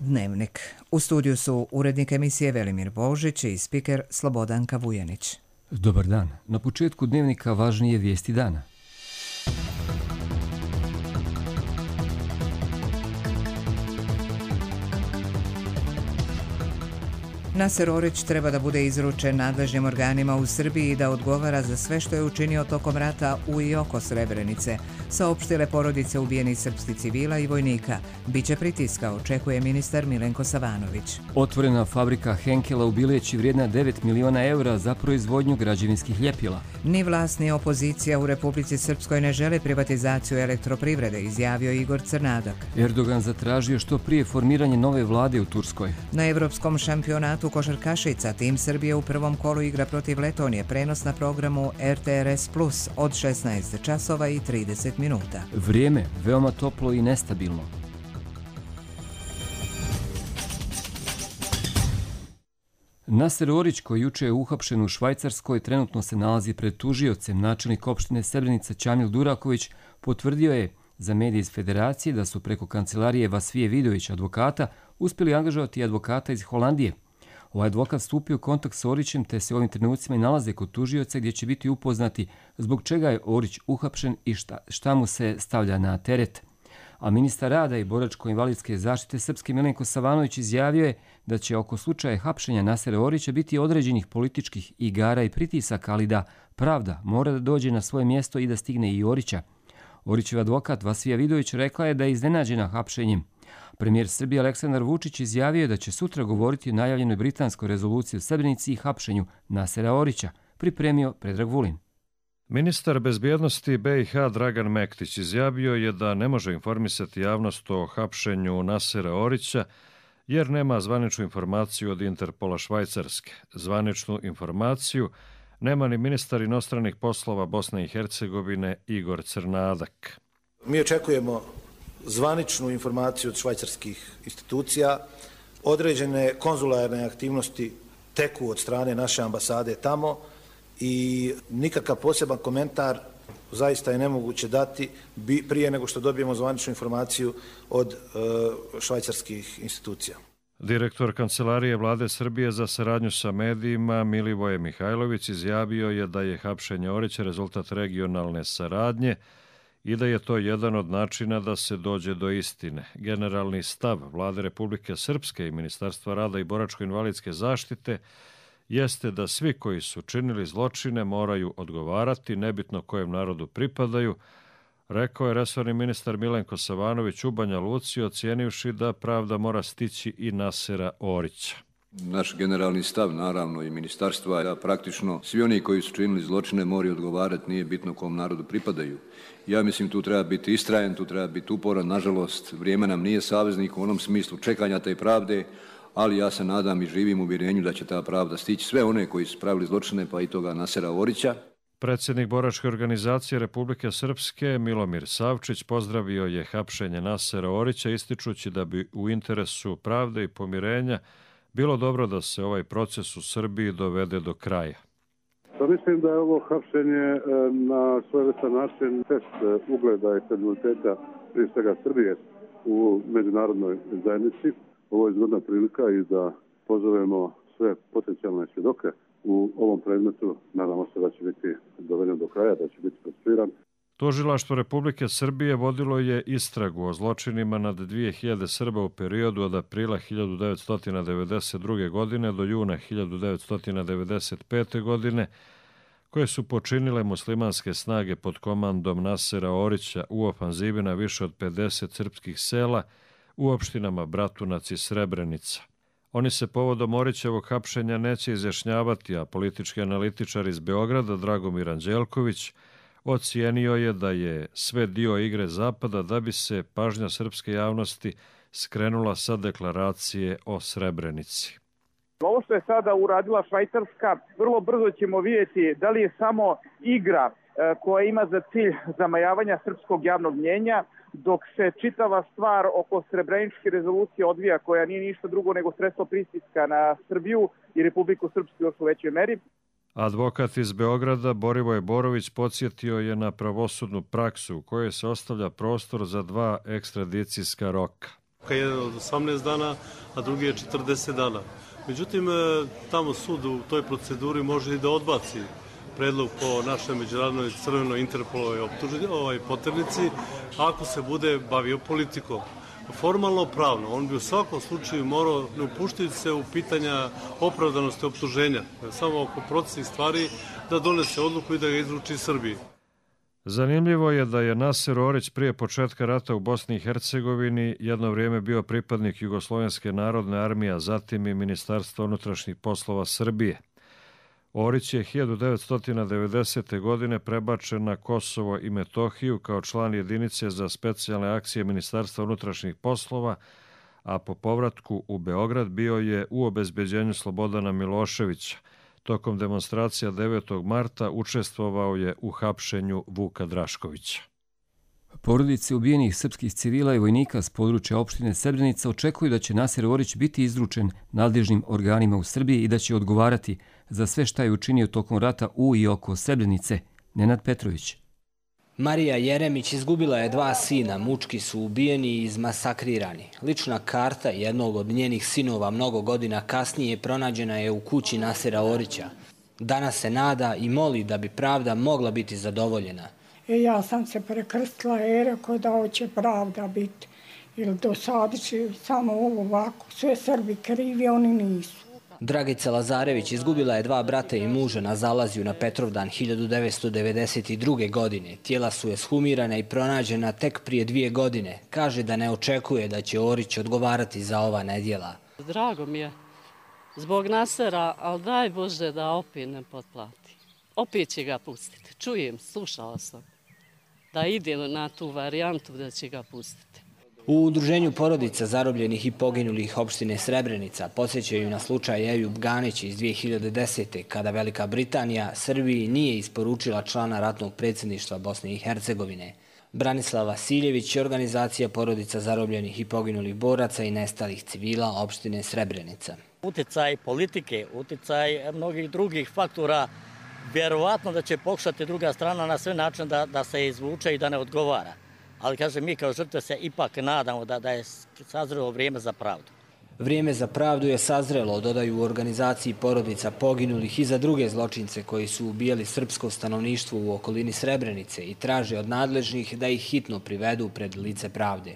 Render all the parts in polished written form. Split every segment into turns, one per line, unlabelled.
Dnevnik. U studiju su urednik emisije Velimir Božić i spiker Slobodanka Vujanić.
Dobar dan. Na početku Dnevnika važnije vijesti dana.
Naser Orić treba da bude izručen nadležnim organima u Srbiji i da odgovara za sve što je učinio tokom rata u i oko Srebrenice, saopštile porodice ubijenih srpskih civila i vojnika. Biće pritiska, očekuje ministar Milenko Savanović.
Otvorena fabrika Henkela u Bileći vrijedna 9 miliona eura za proizvodnju građevinskih ljepila.
Ni vlast ni opozicija u Republici Srpskoj ne žele privatizaciju elektroprivrede, izjavio Igor Crnadak.
Erdogan zatražio što prije formiranje nove vlade u Turskoj.
Na evropskom šampionatu košarkašica tim Srbije u prvom kolu igra protiv Letonije, prenos na programu RTRS Plus od 16 časova i 30 minuta.
Vrijeme veoma toplo i nestabilno. Naser Orić, koji juče je uhapšen u Švajcarskoj, trenutno se nalazi pred tužiocem. Načelnik opštine Srebrenica Ćamil Duraković potvrdio je za medije iz Federacije da su preko kancelarije Vasvije Vidović advokata uspjeli angažovati advokata iz Holandije. Ovaj advokat stupio u kontakt s Orićem te se u ovim trenucima i nalaze kod tužioca gdje će biti upoznati zbog čega je Orić uhapšen i šta mu se stavlja na teret. A ministar rada i boračko-invalidske zaštite Srpske Milenko Savanović izjavio je da će oko slučaja hapšenja Nasera Orića biti određenih političkih igara i pritisaka, ali da pravda mora da dođe na svoje mjesto i da stigne i Orića. Orićev advokat Vasvija Vidović rekla je da je iznenađena hapšenjem. Premijer Srbije Aleksandar Vučić izjavio je da će sutra govoriti o najavljenoj britanskoj rezoluciji u Srebrenici i hapšenju Nasera Orića, pripremio Predrag Vulin.
Ministar bezbjednosti BiH Dragan Mektić izjavio je da ne može informisati javnost o hapšenju Nasera Orića jer nema zvaničnu informaciju od Interpola Švajcarske. Zvaničnu informaciju nema ni ministar inostranih poslova Bosne i Hercegovine Igor Crnadak.
Mi očekujemo zvaničnu informaciju od švajcarskih institucija. Određene konzularne aktivnosti teku od strane naše ambasade tamo i nikakav poseban komentar zaista je nemoguće dati prije nego što dobijemo zvaničnu informaciju od švajcarskih institucija.
Direktor Kancelarije Vlade Srbije za saradnju sa medijima Milivoje Mihajlović izjavio je da je hapšenje Orića rezultat regionalne saradnje i da je to jedan od načina da se dođe do istine. Generalni stav Vlade Republike Srpske i Ministarstva rada i boračko-invalidske zaštite jeste da svi koji su činili zločine moraju odgovarati, nebitno kojem narodu pripadaju, rekao je resorni ministar Milenko Savanović u Banja Luci, ocijenivši da pravda mora stići i Nasera Orića.
Naš generalni stav, naravno i ministarstva, da praktično svi oni koji su činili zločine moraju odgovarati, nije bitno kom narodu pripadaju. Ja mislim tu treba biti istrajan, tu treba biti uporan, nažalost vrijeme nam nije saveznik u onom smislu čekanja te pravde, ali ja se nadam i živim u uvjerenju da će ta pravda stići sve one koji su pravili zločine, pa i toga Nasera Orića.
Predsjednik boračke organizacije Republike Srpske Milomir Savčić pozdravio je hapšenje Nasera Orića, ističući da bi u interesu pravde i pomirenja bilo dobro da se ovaj proces u Srbiji dovede do kraja.
Pa mislim da je ovo hapšenje na svojevrstan način test ugleda i kredibiliteta prije svega Srbije u međunarodnoj zajednici. Ovo je zgodna prilika i da pozovemo sve potencijalne svjedoke u ovom predmetu. Nadamo se da će biti doveden do kraja, da će biti procesuiran.
Tužilaštvo Republike Srbije vodilo je istragu o zločinima nad 2000 Srba u periodu od aprila 1992. godine do juna 1995. godine, koje su počinile muslimanske snage pod komandom Nasera Orića u ofanzivi na više od 50 srpskih sela u opštinama Bratunac i Srebrenica. Oni se povodom Orićevog hapšenja neće izjašnjavati, a politički analitičar iz Beograda Dragomir Anđelković ocijenio je da je sve dio igre Zapada da bi se pažnja srpske javnosti skrenula sa deklaracije o Srebrenici.
Ovo što je sada uradila Švajcarska, vrlo brzo ćemo vidjeti da li je samo igra koja ima za cilj zamajavanja srpskog javnog mnjenja, dok se čitava stvar oko Srebreničke rezolucije odvija, koja nije ništa drugo nego sredstvo pritiska na Srbiju i Republiku Srpsku još u većoj meri.
Advokat iz Beograda Borivoje Borović podsjetio je na pravosudnu praksu u kojoj se ostavlja prostor za 2 ekstradicijska roka.
Jedan od 18 dana, a drugi je 40 dana. Međutim, tamo sud u toj proceduri može i da odbaci predlog po našoj međunarodnoj crvenoj Interpolovoj poternici ako se bude bavio politikom. Formalno pravno, on bi u svakom slučaju morao, ne upuštajući se u pitanja opravdanosti optuženja, samo oko procesnih stvari, da donese odluku i da ga izruči Srbiji.
Zanimljivo je da je Naser Orić prije početka rata u Bosni i Hercegovini jedno vrijeme bio pripadnik Jugoslovenske narodne armije, a zatim i Ministarstva unutrašnjih poslova Srbije. Orić je 1990. godine prebačen na Kosovo i Metohiju kao član jedinice za specijalne akcije Ministarstva unutrašnjih poslova, a po povratku u Beograd bio je u obezbeđenju Slobodana Miloševića. Tokom demonstracija 9. marta učestvovao je u hapšenju Vuka Draškovića.
Porodice ubijenih srpskih civila i vojnika s područja opštine Srebrenica očekuju da će Naser Orić biti izručen nadležnim organima u Srbiji i da će odgovarati za sve šta je učinio tokom rata u i oko Srebrenice. Nenad Petrović.
Marija Jeremić izgubila je 2 sina, mučki su ubijeni i izmasakrirani. Lična karta jednog od njenih sinova mnogo godina kasnije pronađena je u kući Nasera Orića. Danas se nada i moli da bi pravda mogla biti zadovoljena.
Ja sam se prekrstila i rekao da hoće pravda biti. Ili dosadići samo ovako, sve Srbi krivi, oni nisu.
Dragica Lazarević izgubila je 2 brata i muža na zalaziju na Petrovdan 1992. godine. Tijela su eshumirana i pronađena tek prije 2 godine. Kaže da ne očekuje da će Orić odgovarati za ova nedjela.
Drago mi je zbog Nasera, ali daj Bože da opet ne potplati. Opet će ga pustiti. Čujem, slušala sam da ide na tu varijantu da će ga pustiti.
U udruženju porodica zarobljenih i poginulih opštine Srebrenica podsjećaju na slučaj Ejub Ganić iz 2010. kada Velika Britanija Srbiji nije isporučila člana ratnog predsjedništva Bosne i Hercegovine. Branislav Vasiljević je organizacija porodica zarobljenih i poginulih boraca i nestalih civila opštine Srebrenica.
Uticaj politike, uticaj mnogih drugih faktora, vjerovatno da će pokušati druga strana na sve način da se izvuče i da ne odgovara. Ali, kažem, mi kao žrtve se ipak nadamo da je sazrelo vrijeme za pravdu.
Vrijeme za pravdu je sazrelo, dodaju u organizaciji porodica poginulih i za druge zločince koji su ubijali srpsko stanovništvo u okolini Srebrenice i traže od nadležnih da ih hitno privedu pred lice pravde.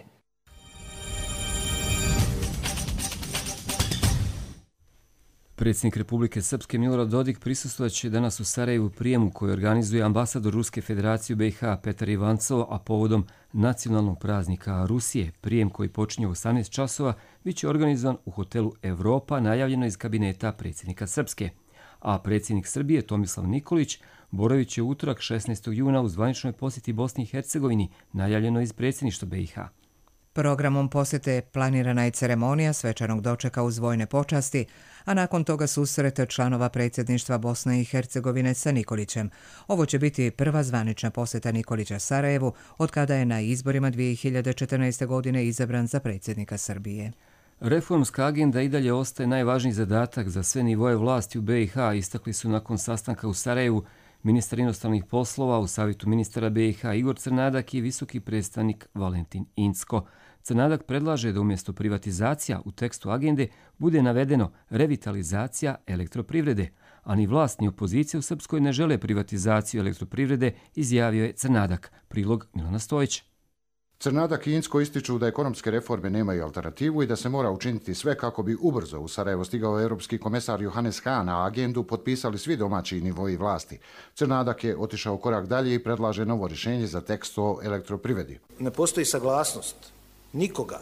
Predsjednik Republike Srpske Milorad Dodik prisustvovaće danas u Sarajevu prijemu koji organizuje ambasador Ruske federacije u BiH Petar Ivancov, a povodom nacionalnog praznika Rusije. Prijem koji počinje u 18 časova biće organizovan u hotelu Evropa, najavljeno iz kabineta predsjednika Srpske. A predsjednik Srbije Tomislav Nikolić boravit će utorak 16. juna u zvaničnoj posjeti Bosni i Hercegovini, najavljeno iz predsjedništva BiH.
Programom posjete planirana je ceremonija svečanog dočeka uz vojne počasti, a nakon toga susret članova predsjedništva Bosne i Hercegovine sa Nikolićem. Ovo će biti prva zvanična posjeta Nikolića Sarajevu od kada je na izborima 2014. godine izabran za predsjednika Srbije.
Reformska agenda i dalje ostaje najvažniji zadatak za sve nivoje vlasti u BiH, istakli su nakon sastanka u Sarajevu ministar inostranih poslova u Savjetu ministara BiH Igor Crnadak i visoki predstavnik Valentin Incko. Crnadak predlaže da umjesto privatizacija u tekstu agende bude navedeno revitalizacija elektroprivrede, a ni vlast ni opozicija u Srpskoj ne žele privatizaciju elektroprivrede, izjavio je Crnadak. Prilog Milana Stojića.
Crnadak i Incko ističu da ekonomske reforme nemaju alternativu i da se mora učiniti sve kako bi ubrzo u Sarajevo stigao europski komesar Johannes Hahn, a agendu potpisali svi domaći nivoji vlasti. Crnadak je otišao korak dalje i predlaže novo rješenje za tekst o elektroprivredi.
Ne postoji saglasnost nikoga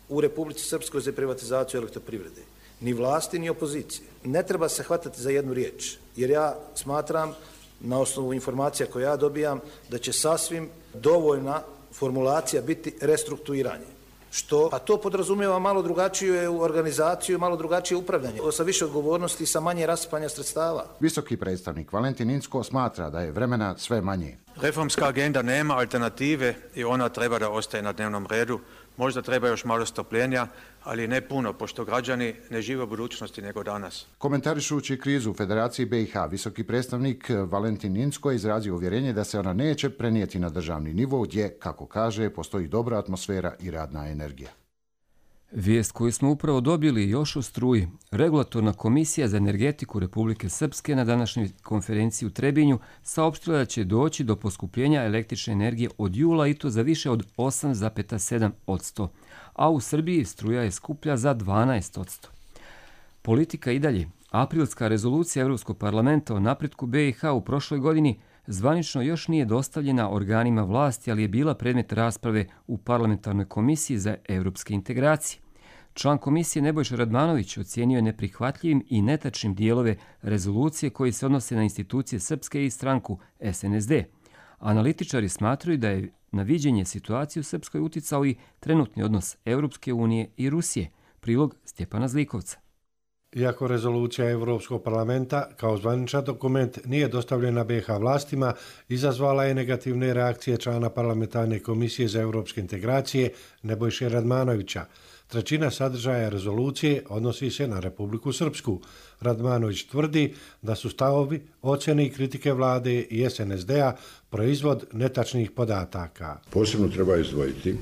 u Republici Srpskoj za privatizaciju elektroprivrede, ni vlasti ni opozicije. Ne treba se hvatati za jednu riječ, jer ja smatram, na osnovu informacija koje ja dobijam, da će sasvim dovoljna formulacija biti restrukturiranje. A to podrazumijeva malo drugačiju organizaciju, malo drugačije upravljanje, sa više odgovornosti i sa manje rasipanja sredstava.
Visoki predstavnik Valentin Incko smatra da je vremena sve manje.
Reformska agenda nema alternative i ona treba da ostaje na dnevnom redu. Možda treba još malo strpljenja, ali ne puno, pošto građani ne žive u budućnosti nego danas.
Komentarišući krizu u Federaciji BiH, visoki predstavnik Valentin Incko je izrazio uvjerenje da se ona neće prenijeti na državni nivo, gdje, kako kaže, postoji dobra atmosfera i radna energija.
Vijest koju smo upravo dobili još o struji. Regulatorna komisija za energetiku Republike Srpske na današnjoj konferenciji u Trebinju saopštila da će doći do poskupljenja električne energije od jula i to za više od 8,7%, a u Srbiji struja je skuplja za 12%. Politika i dalje. Aprilska rezolucija Evropskog parlamenta o napretku BiH u prošloj godini zvanično još nije dostavljena organima vlasti, ali je bila predmet rasprave u Parlamentarnoj komisiji za evropske integracije. Član komisije Nebojša Radmanović ocijenio je neprihvatljivim i netačnim dijelove rezolucije koji se odnose na institucije Srpske i stranku SNSD. Analitičari smatraju da je na viđenje situacije u Srpskoj uticao i trenutni odnos Evropske unije i Rusije. Prilog Stjepana Zlikovca.
Iako rezolucija Evropskog parlamenta kao zvaničan dokument nije dostavljena BiH vlastima, izazvala je negativne reakcije člana Parlamentarne komisije za evropske integracije Nebojše Radmanovića. Trećina sadržaja rezolucije odnosi se na Republiku Srpsku. Radmanović tvrdi da su stavovi, ocjene i kritike vlade i SNSD-a proizvod netačnih podataka.
Posebno treba izdvojiti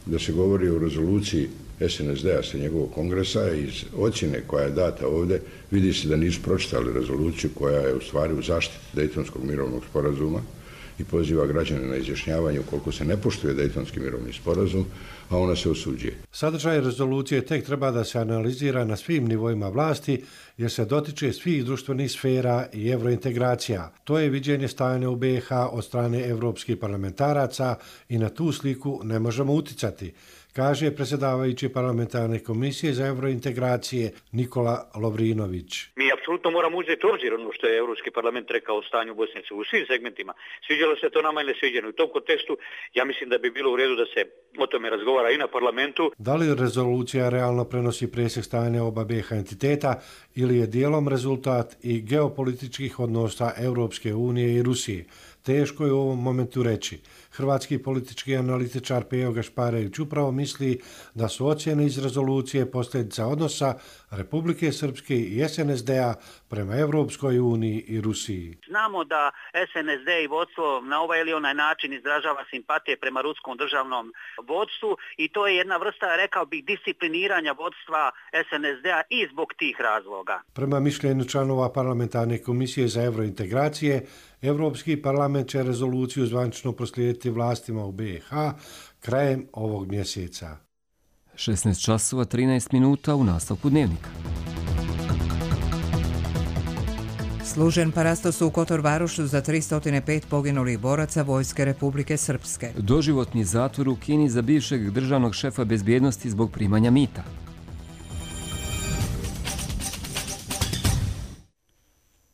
da se govori o rezoluciji SNSD-a sa njegovog kongresa i iz ocjene koja je data ovdje vidi se da nisu pročitali rezoluciju koja je u stvari u zaštiti Dejtonskog mirovnog sporazuma i poziva građane na izjašnjavanje ukoliko se ne poštuje Dejtonski mirovni sporazum, a ona se osuđuje.
Sadržaj rezolucije tek treba da se analizira na svim nivoima vlasti jer se dotiče svih društvenih sfera i evrointegracija. To je viđenje stanja u BiH od strane evropskih parlamentaraca i na tu sliku ne možemo uticati, kaže predsjedavajući Parlamentarne komisije za evrointegracije Nikola Lovrinović.
Mi apsolutno moramo uzeti u obzir ono što je Europski parlament rekao o stanju u Bosni u svim segmentima. Sviđalo se to nama ili ne sviđalo. U tom kontekstu ja mislim da bi bilo u redu da se o tome razgovara i na parlamentu.
Da li rezolucija realno prenosi presjek stanja oba BiH entiteta ili je dijelom rezultat i geopolitičkih odnosa Europske unije i Rusije? Teško je u ovom momentu reći. Hrvatski politički analitičar Pejo Gašparević upravo misli da su ocjene iz rezolucije posljedica odnosa Republike Srpske i SNSD-a prema Evropskoj uniji i Rusiji.
Znamo da SNSD i vodstvo na ovaj ili onaj način izražava simpatije prema ruskom državnom vodstvu i to je jedna vrsta, rekao bih, discipliniranja vodstva SNSD-a i zbog tih razloga.
Prema mišljenju članova Parlamentarne komisije za evrointegracije, Evropski parlament će rezoluciju zvanično proslijediti vlastima u BiH krajem ovog mjeseca.
16 časova 13 minuta u nastavku dnevnika.
Služen parastos u Kotor Varošu za 305 poginulih boraca Vojske Republike Srpske.
Doživotni zatvor u Kini za bivšeg državnog šefa bezbjednosti zbog primanja mita.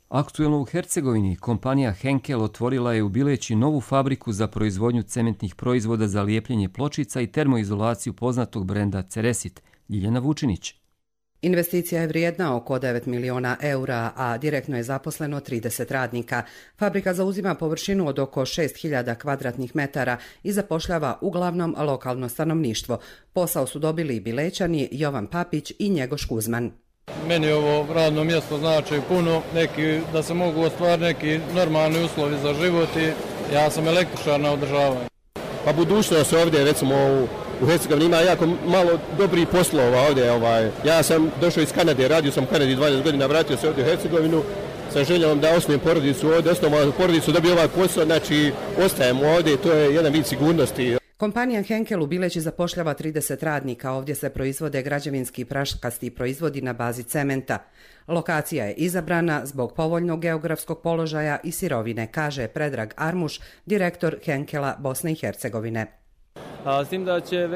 Aktuelno u Hercegovini kompanija Henkel otvorila je u Bileći novu fabriku za proizvodnju cementnih proizvoda za lijepljenje pločica i termoizolaciju poznatog brenda Ceresit. Ljiljana Vučinić.
Investicija je vrijedna oko 9 miliona eura, a direktno je zaposleno 30 radnika. Fabrika zauzima površinu od oko 6.000 kvadratnih metara i zapošljava uglavnom lokalno stanovništvo. Posao su dobili i Bilećani Jovan Papić i Njegoš Kuzman.
Meni ovo radno mjesto znači puno, da se mogu ostvariti neki normalni uslovi za život i ja sam električar na održavanju.
Pa budućnost ovdje, recimo u Hercegovini ima jako malo dobrih poslova ovdje. Ja sam došao iz Kanade, radio sam u Kanadi 20 godina, vratio se ovdje u Hercegovinu sa željom da osnovim porodicu ovdje, osnovim porodicu da bi ovaj posao, znači ostajemo ovdje, to je jedan vid sigurnosti.
Kompanija Henkel u Bileći zapošljava 30 radnika, ovdje se proizvode građevinski i praškasti proizvodi na bazi cementa. Lokacija je izabrana zbog povoljnog geografskog položaja i sirovine, kaže Predrag Armuš, direktor Henkela Bosne i Hercegovine.
S tim da će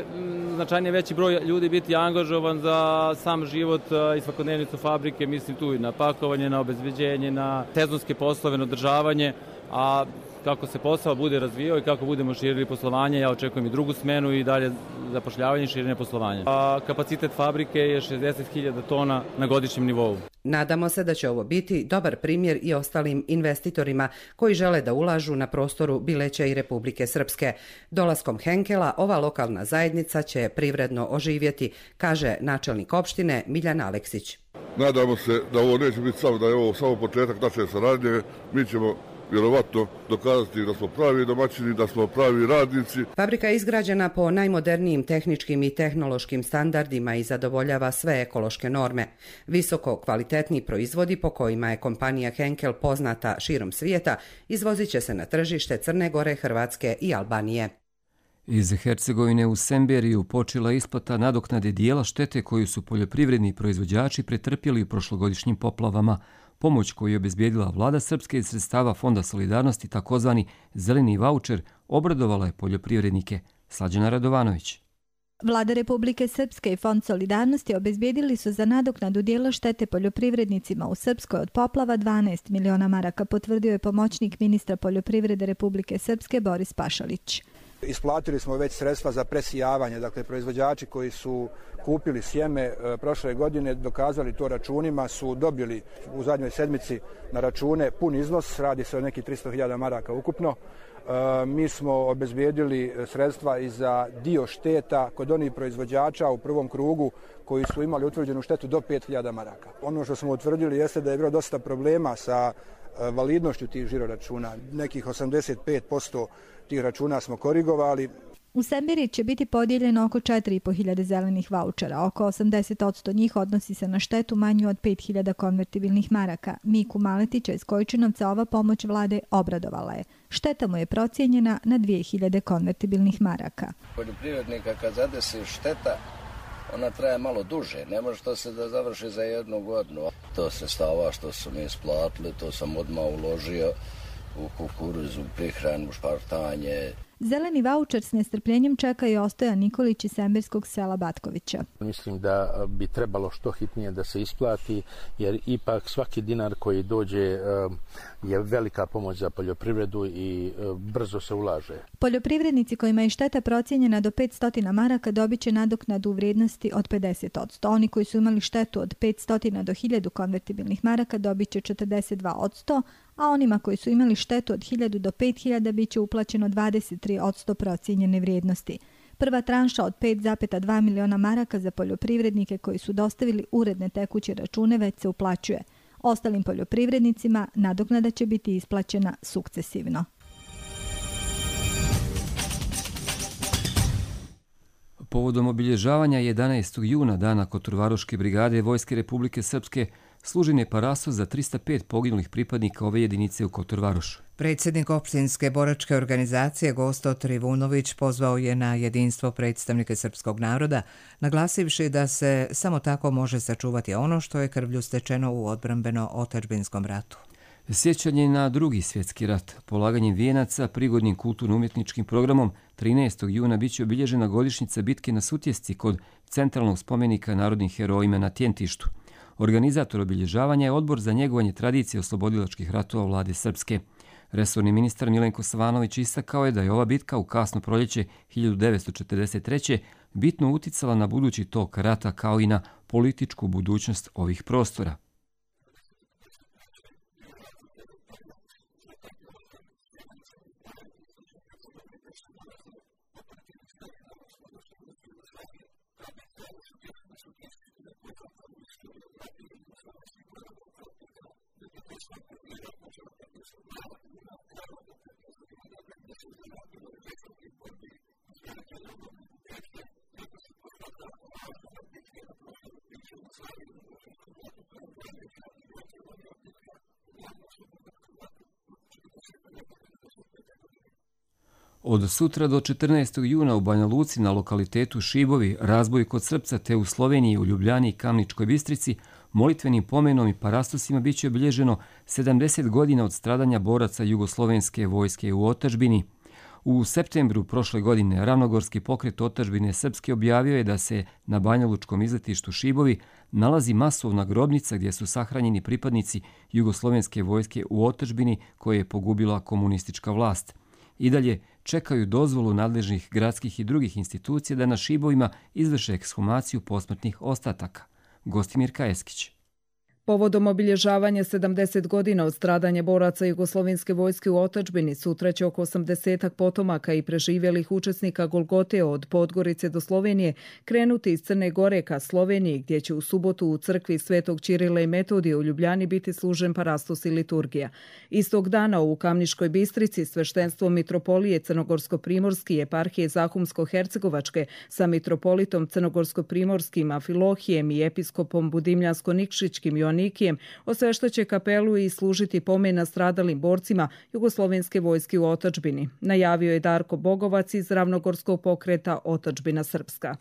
značajnije veći broj ljudi biti angažovan za sam život i svakodnevnicu fabrike, mislim tu i na pakovanje, na obezbeđenje, na sezonske poslove, na održavanje, a kako se posao bude razvijao i kako budemo širili poslovanje, ja očekujem i drugu smenu i dalje zapošljavanje i širenje poslovanja. Kapacitet fabrike je 60.000 tona na godišnjem nivou.
Nadamo se da će ovo biti dobar primjer i ostalim investitorima koji žele da ulažu na prostoru Bileća i Republike Srpske. Dolaskom Henkela ova lokalna zajednica će privredno oživjeti, kaže načelnik opštine Miljan Aleksić.
Nadamo se da ovo neće biti samo, da je ovo samo početak naše saradnje. Mi ćemo vjerovatno dokazati da smo pravi domaćini, da smo pravi radnici.
Fabrika je izgrađena po najmodernijim tehničkim i tehnološkim standardima i zadovoljava sve ekološke norme. Visoko kvalitetni proizvodi po kojima je kompanija Henkel poznata širom svijeta izvozit će se na tržište Crne Gore, Hrvatske i Albanije.
Iz Hercegovine u Semberiju počela isplata nadoknade dijela štete koju su poljoprivredni proizvođači pretrpjeli u prošlogodišnjim poplavama. Pomoć koju je obezbijedila vlada Srpske iz sredstava Fonda solidarnosti, takozvani zeleni vaučer, obradovala je poljoprivrednike. Slađana Radovanović.
Vlada Republike Srpske i Fond solidarnosti obezbijedili su za nadoknadu dijela štete poljoprivrednicima u Srpskoj od poplava 12 miliona maraka, potvrdio je pomoćnik ministra poljoprivrede Republike Srpske Boris Pašalić.
Isplatili smo već sredstva za presijavanje, dakle proizvođači koji su kupili sjeme prošle godine, dokazali to računima, su dobili u zadnjoj sedmici na račune pun iznos, radi se o nekih 300.000 maraka ukupno. Mi smo obezbijedili sredstva i za dio šteta kod onih proizvođača u prvom krugu koji su imali utvrđenu štetu do 5.000 maraka. Ono što smo utvrdili jeste da je bilo dosta problema sa validnošću tih žiroračuna. Nekih 85% tih računa smo korigovali.
U Semberiji će biti podijeljeno oko 4.500 zelenih vaučera. Oko 80% njih odnosi se na štetu manju od 5.000 konvertibilnih maraka. Miku Maletića iz Kojčinovca ova pomoć vlade obradovala je. Šteta mu je procijenjena na 2.000 konvertibilnih maraka.
Poljoprivrednika kad zadesi šteta, ona traje malo duže. Ne može to se da završi za jednu godinu. To sredstava što su mi isplatili, to sam odmah uložio u kukuruzu, prihranu, špartanje.
Zeleni vaučer s nestrpljenjem čeka i Ostojan Nikolić iz semberskog sela Batkovića.
Mislim da bi trebalo što hitnije da se isplati, jer ipak svaki dinar koji dođe je velika pomoć za poljoprivredu i brzo se ulaže.
Poljoprivrednici kojima je šteta procijenjena do 500 maraka dobit će nadoknadu u vrijednosti od 50%. Oni koji su imali štetu od 500 do 1000 konvertibilnih maraka dobit će 42%, a onima koji su imali štetu od 1000 do 5000 bit će uplaćeno 23% procijenjene vrijednosti. Prva tranša od 5,2 miliona maraka za poljoprivrednike koji su dostavili uredne tekuće račune već se uplaćuje. Ostalim poljoprivrednicima nadoknada će biti isplaćena sukcesivno.
Povodom obilježavanja 11. juna dana Kotorvaroške brigade Vojske Republike Srpske služen je parasos za 305 poginulih pripadnika ove jedinice u Kotorvarošu.
Predsjednik opštinske boračke organizacije Gosto Trivunović pozvao je na jedinstvo predstavnike srpskog naroda, naglasivši da se samo tako može sačuvati ono što je krvlju stečeno u odbrambeno-otadžbinskom ratu.
Sjećanje na Drugi svjetski rat, polaganjem vijenaca, prigodnim kulturno-umjetničkim programom 13. juna biće obilježena godišnjica bitke na Sutjesci kod centralnog spomenika narodnim herojima na Tjentištu. Organizator obilježavanja je Odbor za njegovanje tradicije oslobodilačkih ratova vlade Srpske. Resorni ministar Milenko Savanović istakao je da je ova bitka u kasno proljeće 1943. bitno uticala na budući tok rata kao i na političku budućnost ovih prostora. Od sutra do 14. juna u Banja Luci na lokalitetu Šibovi, razboj kod Srpca te u Sloveniji, u Ljubljani i Kamničkoj Bistrici, molitvenim pomenom i parastosima bit će obilježeno 70 godina od stradanja boraca Jugoslovenske vojske u otadžbini. U septembru prošle godine Ravnogorski pokret otadžbine Srpske objavio je da se na banjalučkom izletištu Šibovi nalazi masovna grobnica gdje su sahranjeni pripadnici Jugoslovenske vojske u otadžbini koje je pogubila komunistička vlast. I dalje čekaju dozvolu nadležnih gradskih i drugih institucija da na Šibovima izvrše ekshumaciju posmrtnih ostataka. Gostimir Kajeskić.
Povodom obilježavanja 70 godina od stradanja boraca Jugoslovenske vojske u otadžbini sutra će oko 80 potomaka i preživjelih učesnika Golgote od Podgorice do Slovenije krenuti iz Crne Gore ka Sloveniji, gdje će u subotu u crkvi Svetog Ćirila i Metodije u Ljubljani biti služen parastos i liturgija. Istog dana u Kamniškoj Bistrici sveštenstvo mitropolije Crnogorsko-primorski i eparhije Zahumsko-hercegovačke sa mitropolitom Crnogorsko-primorskim Afilohijem i episkopom Budimljansko-nikšićkim Joannikijem osveštaće kapelu i služiti pomen nastradalim borcima Jugoslovenske vojske u otadžbini, najavio je Darko Bogovac iz Ravnogorskog pokreta Otadžbina Srpska.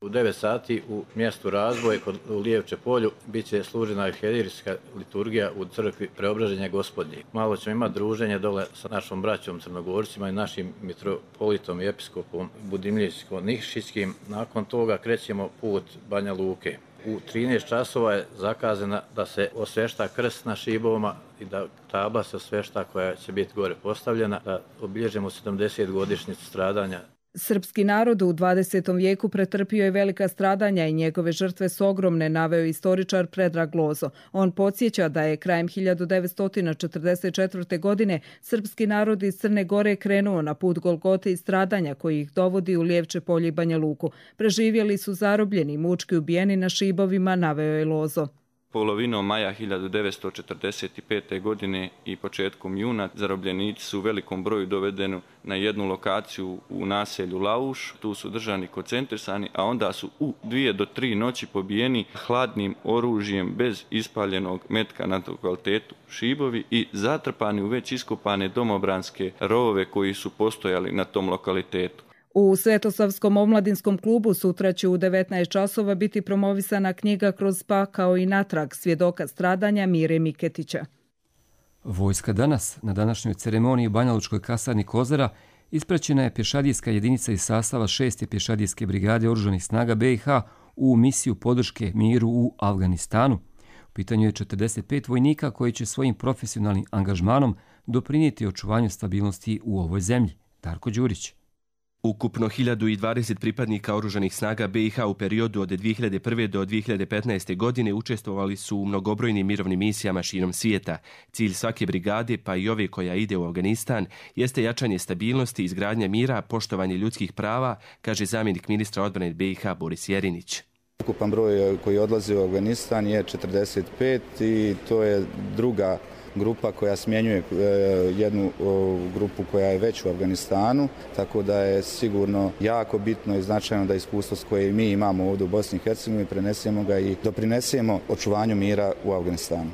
U 9 sati u mjestu Razvoj u Lijevče polju bit će služena arhijerejska liturgija u crkvi Preobraženja Gospodnje. Malo ćemo imati druženje dole sa našom braćom Crnogorcima i našim mitropolitom i episkopom Budimljansko-nikšićkim. Nakon toga krećemo put Banja Luke. U 13 časova je zakazana da se osvešta krst na šibovima i da tabla se osvešta koja će biti gore postavljena, da obilježimo 70-godišnjicu stradanja.
Srpski narod u 20. vijeku pretrpio je velika stradanja i njegove žrtve su ogromne, naveo istoričar Predrag Lozo. On podsjeća da je krajem 1944. godine srpski narod iz Crne Gore krenuo na put Golgote i stradanja koji ih dovodi u Lijevče polje i Banja Luku. Preživjeli su zarobljeni i mučki ubijeni na šibovima, naveo je Lozo.
Polovinom maja 1945. godine i početkom juna zarobljenici su u velikom broju dovedeni na jednu lokaciju u naselju Lauš. Tu su držani koncentrisani, a onda su u 2 do 3 noći pobijeni hladnim oružjem bez ispaljenog metka na lokalitetu šibovi i zatrpani u već iskopane domobranske rovove koji su postojali na tom lokalitetu.
U Svetosavskom omladinskom klubu sutra će u 19 časova biti promovisana knjiga Kroz pakao i natrag svjedoka stradanja Mire Miketića.
Vojska danas, na današnjoj ceremoniji u Banja Lučkoj kasarni Kozara, ispraćena je pješadijska jedinica iz sastava 6. pješadijske brigade Oružanih snaga BiH u misiju podrške miru u Afganistanu. U pitanju je 45 vojnika koji će svojim profesionalnim angažmanom doprinijeti očuvanju stabilnosti u ovoj zemlji. Darko Đurić.
Ukupno 1020 pripadnika Oružanih snaga BiH u periodu od 2001. do 2015. godine učestvovali su u mnogobrojnim mirovnim misijama širom svijeta. Cilj svake brigade, pa i ove koja ide u Afganistan, jeste jačanje stabilnosti, izgradnja mira, poštovanje ljudskih prava, kaže zamjenik ministra odbrane BiH Boris Jerinić.
Ukupan broj koji odlazi u Afganistan je 45 i to je druga grupa koja smjenjuje jednu grupu koja je već u Afganistanu, tako da je sigurno jako bitno i značajno da iskustvo koje mi imamo ovdje u Bosni i Hercegovini prenesemo ga i doprinesemo očuvanju mira u Afganistanu.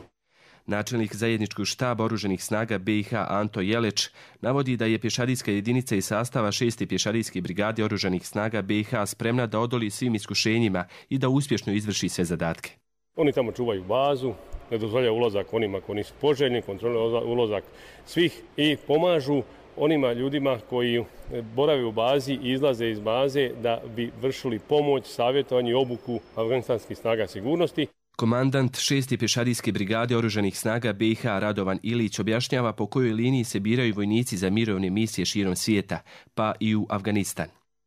Načelnik zajedničkog štaba Oružanih snaga BiH Anto Jeleć navodi da je pješadijska jedinica iz sastava 6. pješadijske brigade Oružanih snaga BiH spremna da odoli svim iskušenjima i da uspješno izvrši sve zadatke.
Oni tamo čuvaju bazu, ne dozvoljaju ulazak onima koji nisu poželjni, kontroliraju ulazak svih i pomažu onima ljudima koji borave u bazi i izlaze iz baze da bi vršili pomoć, savjetovanje i obuku afganistanskih snaga sigurnosti.
Komandant 6. pješadijske brigade Oružanih snaga BiH Radovan Ilić objašnjava po kojoj liniji se biraju vojnici za mirovne misije širom svijeta, pa i u Afganistan.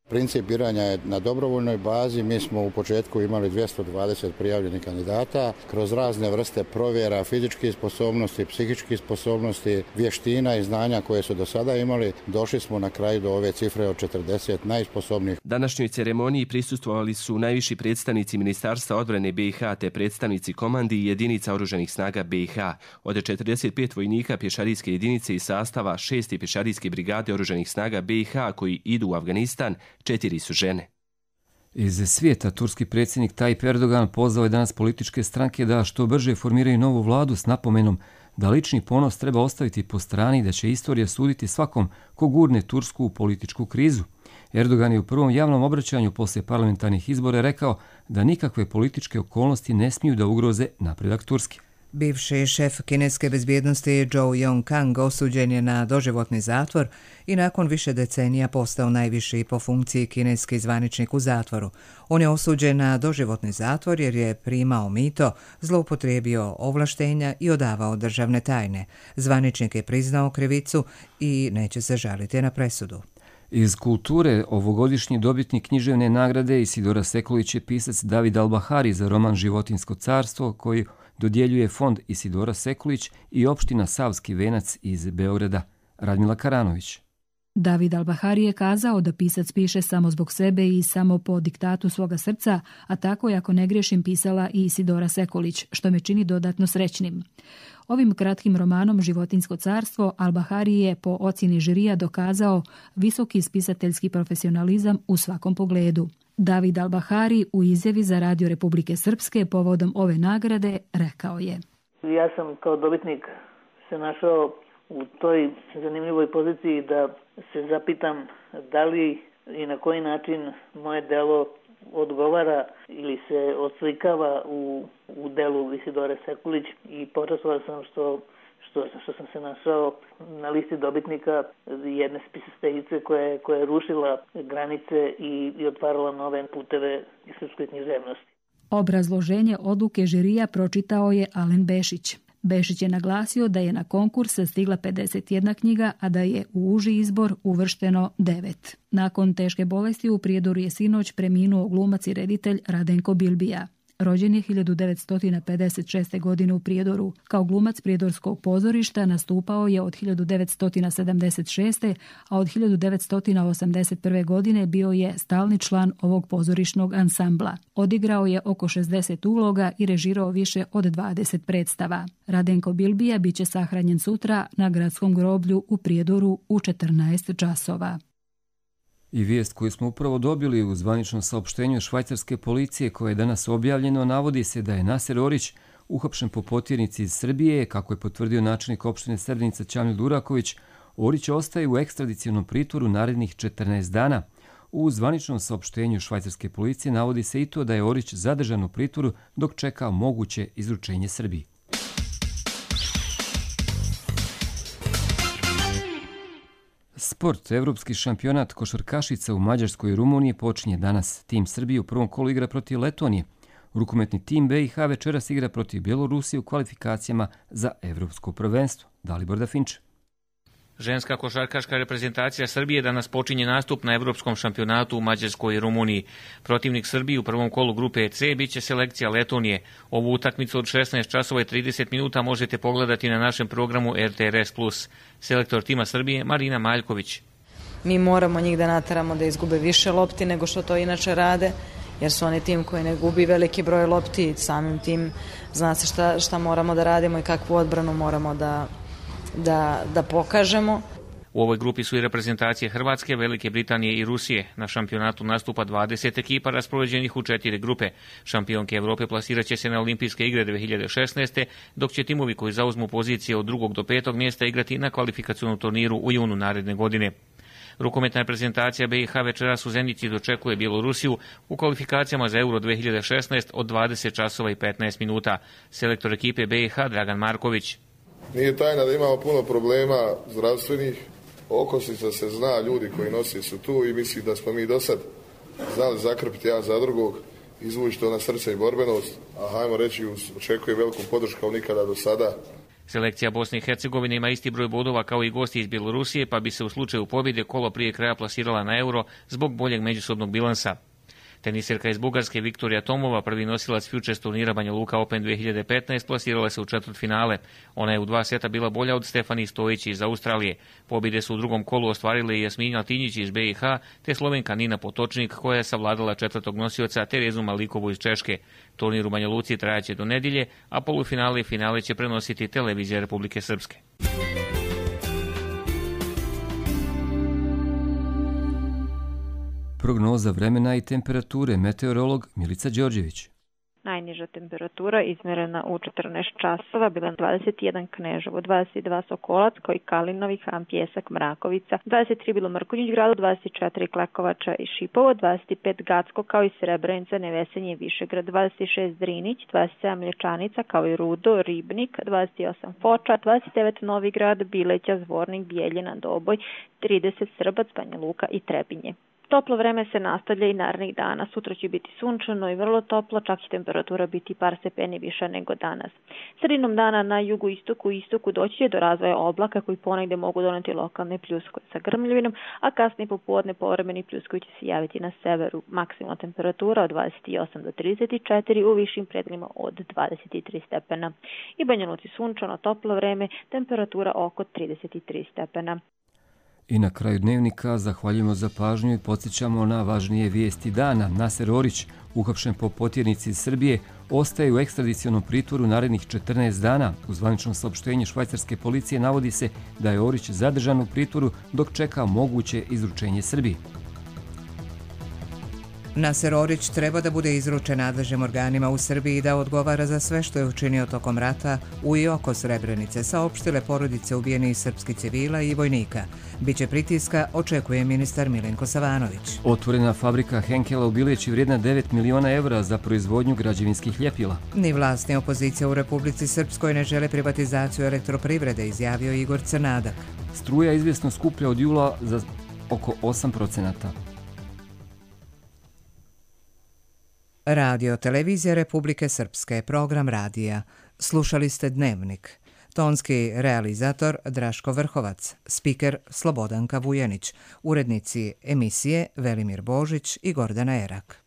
Princip biranja je na dobrovoljnoj bazi. Mi smo u početku imali 220 prijavljenih kandidata. Kroz razne vrste provjera fizičkih sposobnosti, psihičkih sposobnosti, vještina i znanja koje su do sada imali, došli smo na kraju do ove cifre od 40 najsposobnijih.
Današnjoj ceremoniji prisustvovali su najviši predstavnici Ministarstva odbrane BiH te predstavnici komandi i jedinica Oružanih snaga BiH. Od 45 vojnika pješadijske jedinice iz sastava 6. pješadijske brigade Oružanih snaga BiH koji idu u Afganistan, 4 su žene.
Iz svijeta turski predsjednik Tayyip Erdogan pozvao je danas političke stranke da što brže formiraju novu vladu s napomenom da lični ponos treba ostaviti po strani i da će istorija suditi svakom ko gurne Tursku u političku krizu. Erdogan je u prvom javnom obraćanju poslije parlamentarnih izbora rekao da nikakve političke okolnosti ne smiju da ugroze napredak Turske.
Bivši šef kineske bezbjednosti Zhou Yongkang osuđen je na doživotni zatvor i nakon više decenija postao najviši po funkciji kineski zvaničnik u zatvoru. On je osuđen na doživotni zatvor jer je primao mito, zloupotrijebio ovlaštenja i odavao državne tajne. Zvaničnik je priznao krivicu i neće se žaliti na presudu.
Iz kulture ovogodišnji dobitnik književne nagrade Isidora Sekulić je pisac David Albahari za roman Životinjsko carstvo, koji dodjeljuje fond Isidora Sekulić i opština Savski Venac iz Beograda. Radmila Karanović.
David Albahari je kazao da pisac piše samo zbog sebe i samo po diktatu svoga srca, a tako je, ako ne griješim, pisala i Isidora Sekulić, što me čini dodatno srećnim. Ovim kratkim romanom Životinjsko carstvo Albahari je po ocjeni žirija dokazao visoki spisateljski profesionalizam u svakom pogledu. David Albahari u izjavi za Radio Republike Srpske povodom ove nagrade rekao je:
Ja sam kao dobitnik se našao u toj zanimljivoj poziciji da se zapitam da li i na koji način moje delo odgovara ili se odslikava u delu Isidore Sekulić i počašćen sam što sam se našao na listi dobitnika jedne spisateljice koja je rušila granice i otvarala nove puteve srpskoj književnosti.
Obrazloženje odluke žirija pročitao je Alen Bešić. Bešić je naglasio da je na konkurs stigla 51 knjiga, a da je u uži izbor uvršteno 9. Nakon teške bolesti u Prijedoru je sinoć preminuo glumac i reditelj Radenko Bilbija. Rođen je 1956. godine u Prijedoru. Kao glumac prijedorskog pozorišta nastupao je od 1976. a od 1981. godine bio je stalni član ovog pozorišnog ansambla. Odigrao je oko 60 uloga i režirao više od 20 predstava. Radenko Bilbija biće sahranjen sutra na gradskom groblju u Prijedoru u 14 časova.
I vijest koju smo upravo dobili u zvaničnom saopštenju švajcarske policije koje je danas objavljeno, navodi se da je Naser Orić uhapšen po potjernici iz Srbije. Kako je potvrdio načelnik opštine Srebrenica Čamil Duraković, Orić ostaje u ekstradicionom pritvoru narednih 14 dana. U zvaničnom saopštenju švajcarske policije navodi se i to da je Orić zadržan u pritvoru dok čeka moguće izručenje Srbiji. Sport. Evropski šampionat košarkašica u Mađarskoj i Rumuniji počinje danas. Tim Srbije u prvom kolu igra protiv Letonije. Rukometni tim BiH večeras igra protiv Bjelorusije u kvalifikacijama za evropsko prvenstvo. Dalibor Dafinče.
Ženska košarkaška reprezentacija Srbije danas počinje nastup na Evropskom šampionatu u Mađarskoj i Rumuniji. Protivnik Srbije u prvom kolu grupe C biće selekcija Letonije. Ovu utakmicu od 16 časova i 30 minuta možete pogledati na našem programu RTRS+. Selektor tima Srbije Marina Maljković.
Mi moramo njih da nateramo da izgube više lopti nego što to inače rade, jer su oni tim koji ne gubi veliki broj lopti. Samim tim zna se šta moramo da radimo i kakvu odbranu moramo da pokažemo.
U ovoj grupi su i reprezentacije Hrvatske, Velike Britanije i Rusije. Na šampionatu nastupa 20 ekipa raspoređenih u 4 grupe. Šampionke Evrope plasirat će se na Olimpijske igre 2016. dok će timovi koji zauzmu pozicije od 2. do 5. mjesta igrati na kvalifikacionom turniru u junu naredne godine. Rukometna reprezentacija BiH večeras u Zenici dočekuje Bjelorusiju u kvalifikacijama za Euro 2016 od 20 časova i 15 minuta. Selektor ekipe BiH Dragan Marković.
Nije tajna da imamo puno problema zdravstvenih, okosnica se zna, ljudi koji nosi su tu i mislim da smo mi do sad znali zakrpiti jedan za drugog, izvući to na srce i borbenost, a hajmo reći očekuje veliku podršku kao nikada do sada.
Selekcija Bosne i Hercegovine ima isti broj bodova kao i gosti iz Bjelorusije, pa bi se u slučaju pobjede kolo prije kraja plasirala na Euro zbog boljeg međusobnog bilansa. Teniserka iz Bugarske Viktorija Tomova, prvi nosilac Futures turnira Banja Luka Open 2015, plasirala se u četvrtfinale. Ona je u 2 seta bila bolja od Stefani Stojić iz Australije. Pobjede su u drugom kolu ostvarile i Jasminja Tinjić iz BiH, te Slovenka Nina Potočnik koja je savladala četvrtog nosioca Terezu Malikovu iz Češke. Turnir u Banja Luci trajaće do nedjelje, a polufinale i finale će prenositi Televizija Republike Srpske.
Prognoza vremena i temperature, meteorolog Milica Đorđević.
Najniža temperatura izmjerena u 14 časova bila 21 Kneževo, 22 Sokolac, koji Kalinovi, Han, Pjesak, Mrakovica, 23 bilo Mrkonjić gradu, 24 Klekovača i Šipovo, 25 Gacko kao i Srebrenica, Nevesenje, Višegrad, 26 Drinić, 27 Mlječanica kao i Rudo, Ribnik, 28 Foča, 29 Novi Grad, Bileća, Zvornik, Bijeljina, Doboj, 30 Srbac, Banja Luka i Trebinje. Toplo vreme se nastavlja i narednih dana. Sutra će biti sunčano i vrlo toplo, čak će temperatura biti par stepeni viša nego danas. Sredinom dana na jugoistoku i istoku doći će do razvoja oblaka koji ponegde mogu doneti lokalne pljuskove sa grmljavinom, a kasnije popodne povremeni pljuskovi će se javiti na severu. Maksimalna temperatura od 28 do 34, u višim predelima od 23 stepena. I Banja Luci sunčano, toplo vreme, temperatura oko 33 stepena.
I na kraju dnevnika zahvaljujemo za pažnju i podsjećamo na važnije vijesti dana. Naser Orić, uhapšen po potjernici iz Srbije, ostaje u ekstradicionom pritvoru narednih 14 dana. U zvaničnom saopštenju švajcarske policije navodi se da je Orić zadržan u pritvoru dok čeka moguće izručenje Srbiji.
Naser Orić treba da bude izručen nadležnim organima u Srbiji i da odgovara za sve što je učinio tokom rata u i oko Srebrenice, saopštile porodice ubijenih srpskih civila i vojnika. Biće pritiska, očekuje ministar Milenko Savanović.
Otvorena fabrika Henkela u Bileći vrijedna 9 miliona evra za proizvodnju građevinskih ljepila.
Ni vlast ni opozicija u Republici Srpskoj ne žele privatizaciju elektroprivrede, izjavio Igor Crnadak.
Struja je izvjesno skuplja od jula za oko 8%.
Radio Televizija Republike Srpske, program radija. Slušali ste Dnevnik. Tonski realizator Draško Vrhovac, spiker Slobodanka Vujanić, urednici emisije Velimir Božić i Gordana Erak.